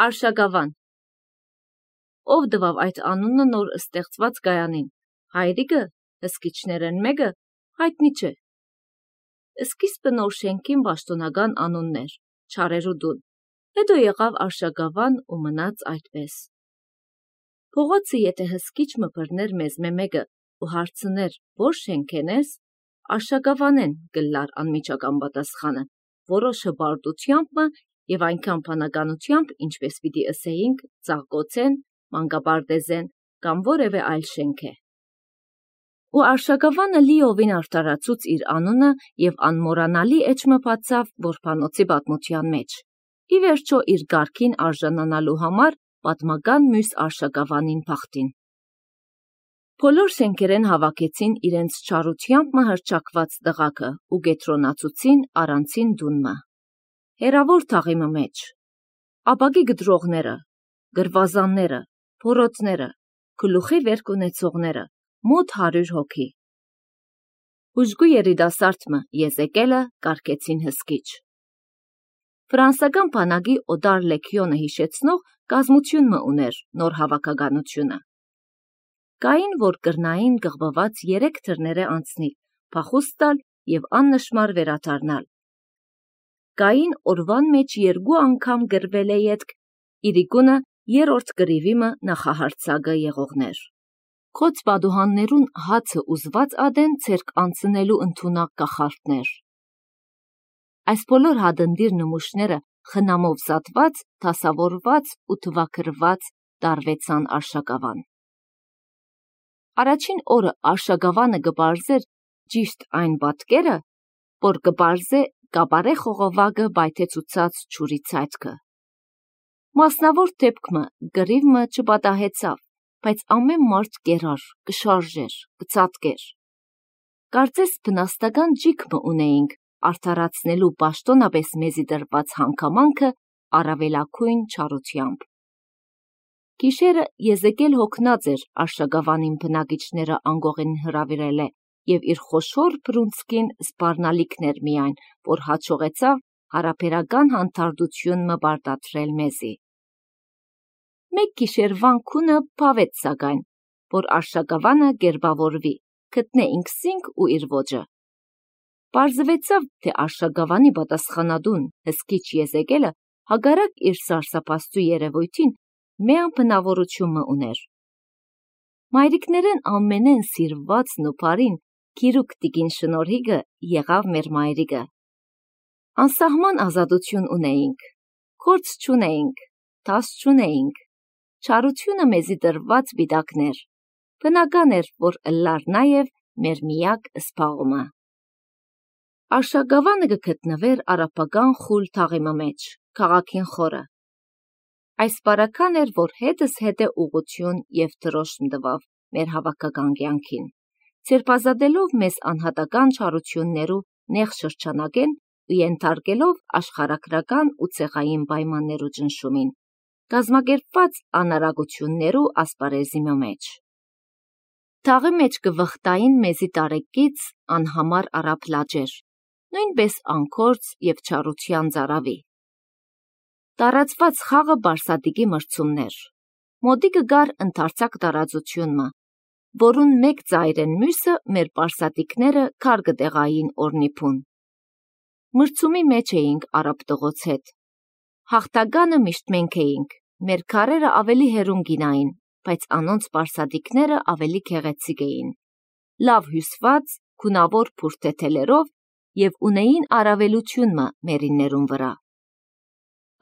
Արշակավան։ Ով տվավ այդ անունը նոր ստեղծված գայանին, հայրիկը, հսկիչներն մեկը, հայտնի չէ։ Սկիզբը նոր շենքին պաշտոնական անուններ, չարերու տուն, հետո եղավ Արշակավան ու մնաց այդպես։ Փողոցը եթե հսկիչ մբռներ մեզ մեկը ու հարցներ, որ շենք ես, Արշակավանեն գլար անմիջական պատասխանը, որոշը բարդությամբ և այնքան բանականությամբ, ինչպես պիտի ըսեինք, ծաղկոցեն, մանկապարտեզեն կամ որևէ այլ շենք է։ Ու Արշակավանը լիովին արտարացուց իր անունը և անմոռանալի էջը բացավ որբանոցի պատմության մեջ, ի վերջո իր գարքին արժանանալու համար պատմական մյուս Արշակավանին բախտին։ Բոլոր շենքերեն հավաքեցին իրենց չարությամբ հռչակված տղակը ու կետրոնացուցին առանցին տունը։ Հեռավոր թաղիմը մեջ, ապակի գտրողները, գրվազանները, փորոտները, գլուխի վերք ունեցողները, մոտ 100 հոգի։ Ուժգու երիտասարդը Եզեկելը կարգեցին հսկիչ։ Ֆրանսական բանակի օտար լեգիոնը հիշեցնող կազմությունը ուներ նոր հավաքականությունը։ Կային, որ կրնային գղբված 3 թռները անցնի, փախուստ տալ և աննշմար վերադառնալ։ Կային օրվան մեջ 2 անգամ գրվել է ետք, իրիկունը 3-րդ գրիվիմը նախահարցակը եղողներ։ Քոծ պատուհաններուն հացը ուզված ադեն ցերկ անցնելու ընդունակ կախարդներ։ Այս բոլոր հադնդիր նմուշները խնամով զատված, դասավորված ու թվաքրված տարվեցան Արշակավան։ Առաջին օրը Արշակավանը կպարզեր ճիշտ այն պատկերը, որ կպարզե կապարե խողովակը բայթեցուցած ջուրի ցայտքը։ Մասնավոր դեպքմը գրիվը չպատահեցավ, բայց ամեն մարդ կերար, կշարժեր, կծածկեր։ Կարծես բնաստական ջիքմը ունեինք արդարացնելու պաշտոնապես մեզի տրված հանգամանքը առավելագույն չարությամբ։ Գիշերը Եզեկել հոգնած էր Արշակավանին բնակիչները անգողին հրավիրել է և իր խոշոր բռունցքին սպառնալիքն էր միայն, որ հաջողեցավ հարաբերական հանդարտությունը պարտադրել մեզի։ Մեկ գիշերվան քունը փավեց սակայն, որ Արշակավանը կերպավորվի, գտնե ինքզինք ու իր ոճը։ Պարզվեցավ, թե Արշակավանի պատասխանատուն հսկիչ Եզեկելը հակառակ իր սարսափաստու երևույթին միան բնավորությունը ուներ։ Մայրիկներեն ամենեն սիրվածն ու բարին գիրուկ տիկին Շնորհիկը եղավ մեր մայրիկը։ Անսահման ազատություն ունեինք, գործ չունեինք, դաս չունեինք, չարությունը մեզի տրված պիտակներ, բնական էր, որ ըլլար նաև մեր միակ սպաղումը։ Արշակավանը կգտնվեր արաբական խուլ թաղիմը մեջ, քաղաքին խորը։ Այս պարական էր, որ հետս հետե ուղղություն և դրոշմ տվավ մեր հավաքական կյանքին, ցերպազատելով մեզ անհատական չարություններու նեղ շրջանակեն ու ենթարկելով աշխարհագրական ու ցեղային պայմաններու ճնշումին, կազմակերպված անարագություններու ասպարեզի մեջ։ Թաղի մեջ կվխտային մեզի տարեկից անհամար արաբ լաջեր, նույնպես անկորձ և չարության ծարավի։ Տարածված խաղը բարսատիկի մրցումներ, մոտիկը գար ընդարձակ տարածությունը, որուն մեկ ծայրեն մյուսը մեր բարսատիկները քար կտեղային օրնիփուն։ Մրցումի մեջ էինք արաբ տղոց հետ։ Հաղթականը միշտ մենք էինք, մեր քարերը ավելի հեռուն գինային, բայց անոնց բարսատիկները ավելի գեղեցիկ էին, լավ հյուսված, գունավոր բուրդեթելերով և ունեին առավելությունը մերիններուն վրա։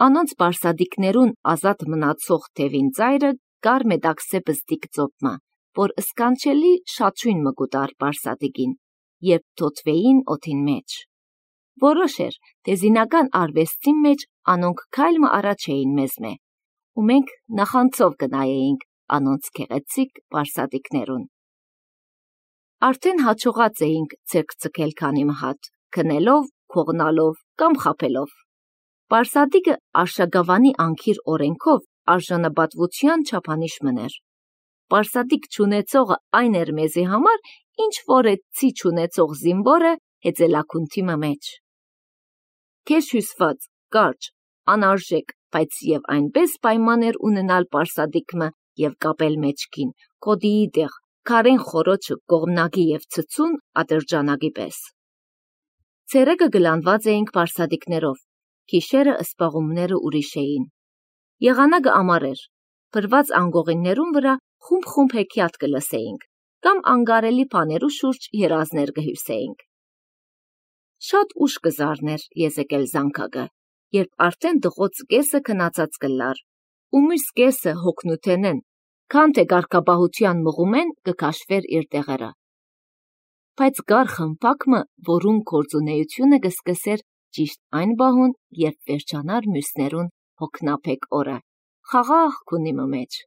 Անոնց բարսատիկներուն ազատ մնացող թևին ծայրը կար մետաքսե բզդիկ ծոպմը, որ սկանչելի շաչույն մը կուտար բարսատիկին, երբ թոթվեին օդին մեջ։ Որոշ էր, թե զինական արվեստի մեջ անոնք քայլը առաջ էին մեզմե, ու մենք նախանձով կնայեինք անոնց գեղեցիկ բարսատիկներուն։ Արդեն հաջողած էինք ցերկ ցկել քանի մհատ, քնելով, քողնալով կամ խաբելով։ Բարսատիկը Արշակավանի անկիր օրենքով արժանապատվության չափանիշ մներ։ Բարսատիկ չունեցողը այն էր մեզի համար, ինչ որ է ցի չունեցող զինվորը հեծելակունթի մեջ։ Քեզ հյուսված, կարճ, անարժեք, բայց եւ այնպես պայման էր ունենալ պարսադիկմը եւ կապել մեջքին, կոդիի դեղ, քարեն խորոչը կողմնակի եւ ցցուն ատրճանագի պես։ Ցերեկը գլանված էինք պարսադիկներով, քիշերը ըսպաղումները ուրիշ էին։ Եղանակը ամառ էր, փրված անգողիններուն վրա խումբ հեքիաթ կլսեինք, կամ անգարելի բաներու շուրջ երազներ կհյուսեինք։ Շատ ուշ կզարներ եզեկել զանգակը, երբ արդեն դղոց կեսը քնացած կլար, ու մյուս կեսը հոգնութենեն, քան թե գարկաբահության մղումեն կքաշվեր իր տեղերը։ Բայց գար խմպակմը, որուն գործունեությունը կսկսեր ճիշտ այն բահուն, երբ վերջանար մյուսներուն հոգնապեք օրը, խաղաղ քունիմը մեջ։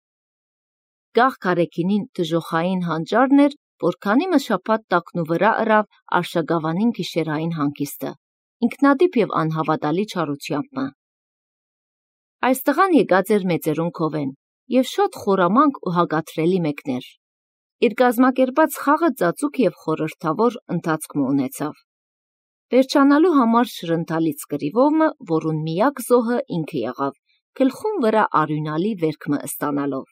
Գաղ կարեկինին դժոխային հանճարն էր, որքանի մշապատ տակնու վրա ըրավ արշագավանին գիշերային հանգիստը, ինքնադիպ եւ անհավատալի չարությամբ։ Այս տղան եկած էր մեծերուն քովեն եւ շատ խորամանկ ու հագաթրելի մեկներ։ Իր գազմակերպած խաղը ծածուկ եւ խորհրդավոր ընթացք ունեցավ։ Վերջանալու համար շրընթալից կրիվովը, որուն միակ զոհը ինքը եղավ, գլխուն վրա արյունալի վերքմը ստանալով։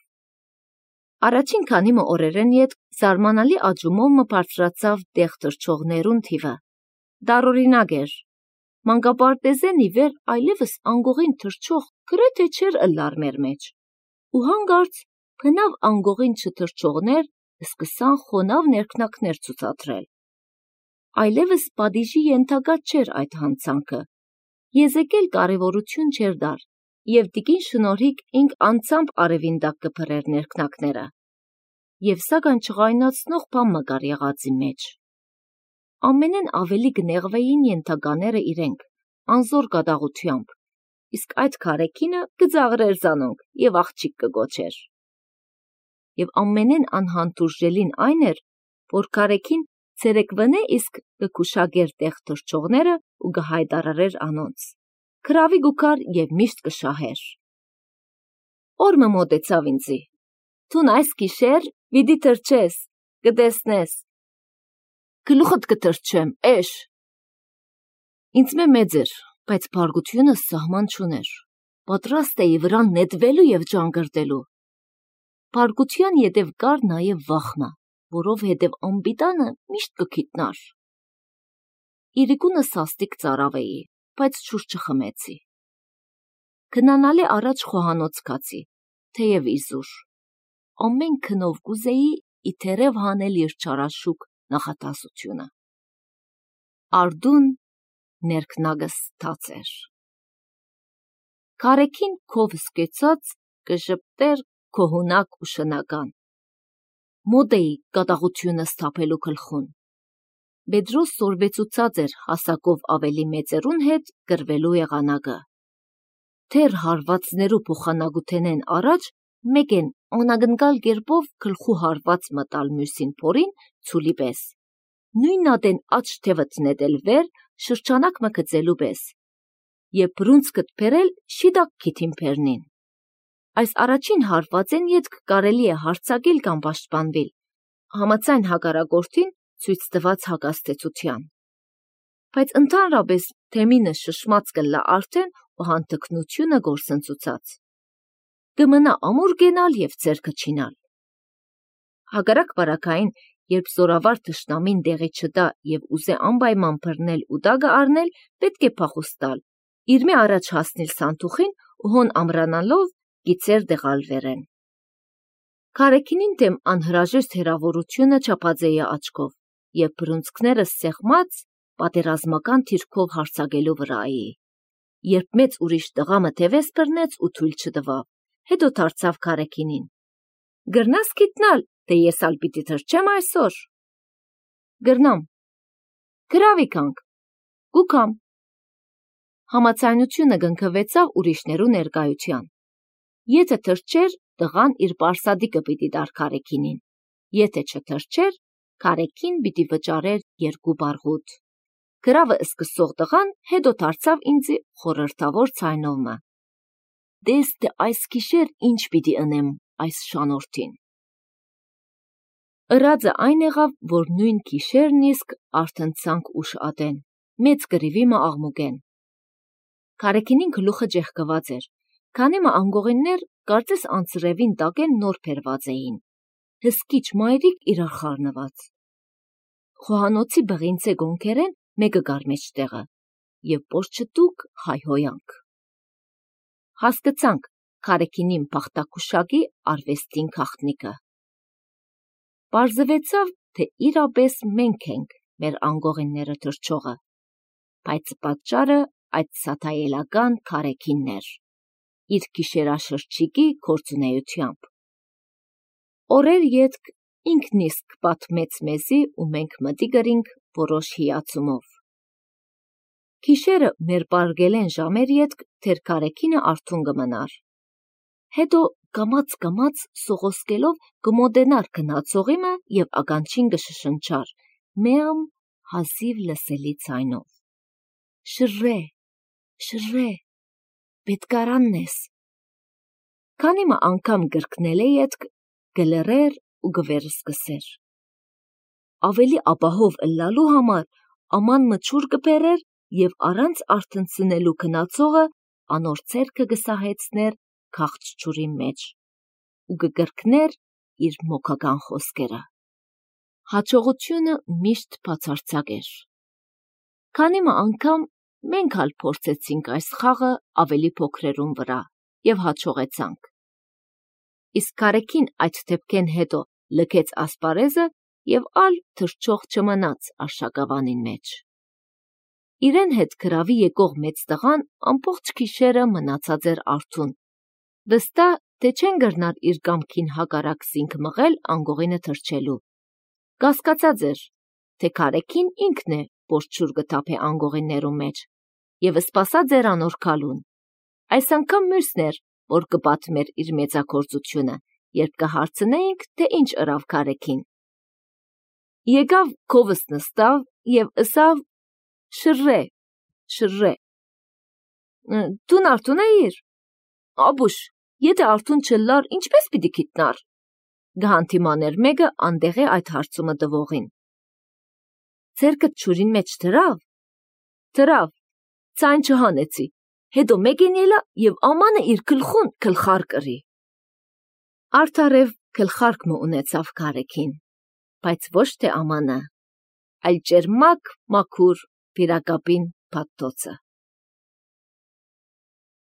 Առաջին քանիմը օրերեն յետ զարմանալի աճումով մը բարձրացավ դեղ թռչողներուն թիվը։ Դարօրինակ էր։ Մանկապարտեզեն ի վեր այլևս անգողին թռչող գրեթե չէր ըլլար մեր մեջ։ Ու հանգարց բնավ անգողին չթռչողներ սկսան խոնավ ներքնակներ ցուցադրել։ Այլևս պատիժի ենթակա չէր այդ հանցանքը։ Եզեկել կարևորություն չէր դար, եւ տիկին շնորհիկ ինք անցամբ արևին տակ կփրեր ներքնակները։ Եվ սակայն չղայնացնող բան մգար եղածի մեջ։ Ամենեն ավելի կնեղվեին ենթակաները իրենք, անզոր կատաղությամբ, իսկ այդ քարեկինը կձաղրեր զանոնք եւ աղջիկ կգոչեր։ Եվ ամենեն անհանդուրժելին այն էր, որ քարեկին ցերեկվնե իսկ կքուշագեր տեղ թռչողները ու կհայտարարեր անոնց։ Քրավի գուքար եւ միշտ կշահեր։ Օրը մոտեցավ ինձի։ Թուն այս գիշեր վիդի թռչես, կտեսնես։ Գլուխդ կթռչեմ, էշ։ Ինձ մեծ էր, բայց բարգությունը սահման չուներ։ Պատրաստ էի վրան նետվելու եւ ջանգրտելու։ Բարգության ետև կար նաեւ վախմը, որովհետև անպիտանը միշտ կգիտնար։ Իրիկունը սաստիկ ծարավ էի, բայց ջուր չխմեցի։ Քնանալի առաջ խոհանոց կացի, թեև իզուր։ Ամեն քնով կուզեի իթերև հանել իր չարաշուկ նախատասությունը։ Արդուն ներքնագս թաց էր։ Քարեկին քով սկեցած կժպտեր քոհունակ ու շնական։ Մոտ էի կատաղությունը սթափելու գլխուն։ Բեդրոս սորվեցուցած էր հասակով ավելի մեծերուն հետ գրվելու եղանակը։ Թեր հարվածներու փոխանակութենեն առաջ մեկ են անագնկալ կերպով գլխու հարված մտալ մյուսին փորին ցուլի պես։ Նույն ատեն աչ թևըտ նետել վեր շրջանակ մը գծելու պես։ Եվ բրունցքդ փերել շիդակ քիթին փերնին։ Այս առաջին հարվածեն ետք կարելի է հարցակել կամ պաշտպանվել, համաձայն հակառակորդին ցույց տված հակաստեցության։ Բայց ընդհանրապես թեմինը շշմած կլա արդեն ու հանդգնությունը գործընծուցած։ Կմնա ամուր գենալ եւ ձերքը չինալ։ Հակառակ բարակային, երբ զորավար թշնամին դեղի չտա եւ ուզե անպայման բռնել ու դագը առնել, պետք է փախուստ տալ, իր մի առաջ հասնել սանթուխին ու հոն ամրանալով գիծեր դեղալվերեն։ Քարեկինին դեմ անհրաժեշտ հերավորությունը չափածեի աչքով եւ բրունցքները սեղմած պատերազմական թիրքով հարցակելու վրայի։ Երբ մեծ ուրիշ տղամը թևես բռնեց ու թույլ չտվավ, հետո դարձավ քարեկինին։ Գրնաս գիտնալ, թե ես ալ պիտի թռչեմ այսօր։ Գրնամ։ Գրավիկանք։ Գուքամ։ Համացայնությունը գնքվեցավ ուրիշներու ներկայության։ Եթե թռչեր, տղան իր պարսադիկը պիտի դար քարեկինին։ Եթե չթռչեր, քարեկին պիտի վճարեր 2 բարգուտ։ Գրավը սկսող տղան հետո դարձավ ինձի խորհրդավոր ցայնովը։ Դես թե այս գիշեր ինչ պիտի ընեմ այս շանորդին։ Ըրածը այն եղավ, որ նույն գիշերն իսկ արթնցանք ուշ ատեն, մեծ գրիվի մը աղմուկեն։ Քարեկինին գլուխը ջեղկված էր, Քանի մը անգողիններ կարծես անձրևին տակեն նոր փերված էին, հսկիչ մայրիկ իրար խառնված։ Խոհանոցի բղինցե գոնքերեն մեկը գար մեջտեղը, և պորչտուկ հայհոյանք։ Հասկացանք Քարեքինին պախտակուշակի արվեստին քաղտնիկը։ Պարզվեցավ, թե իրապես մենք ենք մեր անգողինները թրջողը, բայց պատճառը այդ սաթայելական Քարեքինն էր, իր գիշերաշրջիկի գործունեությամբ։ Օրեր ետք ինքն իսկ պատմեց մեզի ու մենք մտի գրինք որոշ հիացումով։ Գիշերը մեր պարգելեն ժամեր ետք թեր Քարեքինը արթուն կմնար։ Հետո կամաց սողոսկելով կմոտենար գնացողիմը և ականջին կշշնչար մեամ հազիվ լսելի ձայնով. «Շռե, շռե, պետքարանն ես»։ Քանի մը անգամ գրկնել է ետք, կլռեր ու կվերսկսեր։ Ավելի ապահով ըլլալու համար աման մը ջուր կբերեր և առանց արթնցնելու գնացողը անոր ձեռքը կսահեցներ քաղց ջուրի մեջ ու կկրկներ իր մոգական խոսքերը։ Հաջողությունը միշտ բացարձակ էր։ Քանի մը անգամ մենք ալ փորձեցինք այս խաղը ավելի փոքրերուն վրա և հաջողեցանք։ Իսկ Քարեքին այդ դեպքեն հետո լքեց ասպարեզը և ալ թրջող չմնաց արշակավանին մեջ։ Իրեն հետ գրավի եկող մեծ տղան ամբողջ գիշերը մնացած էր արթուն, վստահ, թե չեն գրնար իր կամքին հակառակ զինք մղել անգողինը թրջելու։ Կասկածած էր, թե Քարեքին ինքն է, որ ջուր կթափե անգողիններու մեջ և սպասած էր անոր գալուն։ Այս անգամ մյուսն էր, որ կպատմեր իր մեծագործությունը, երբ կհարցնեինք, թե ինչ ըրավ Քարեքին։ Եկավ քովս նստավ և ըսավ. «Շռե, շռե»։ Դուն արթուն էիր։ Աբուշ, եթե արթուն չլար, ինչպես պիտի գիտնար, կհանդիմաներ մեկը անտեղի այդ հարցումը տվողին։ Ձեռքդ ջուրին մեջ դրավ։ Դրավ, ձայն չհանեցի, հետո մեկեն ելա և ամանը իր գլխուն գլխար կրի։ Արդարև գլխարկ մը ունեցավ Քարեքին, բայց ոչ թե ամանը, այլ ճերմակ մաքուր վիրակապին փաթթոցը։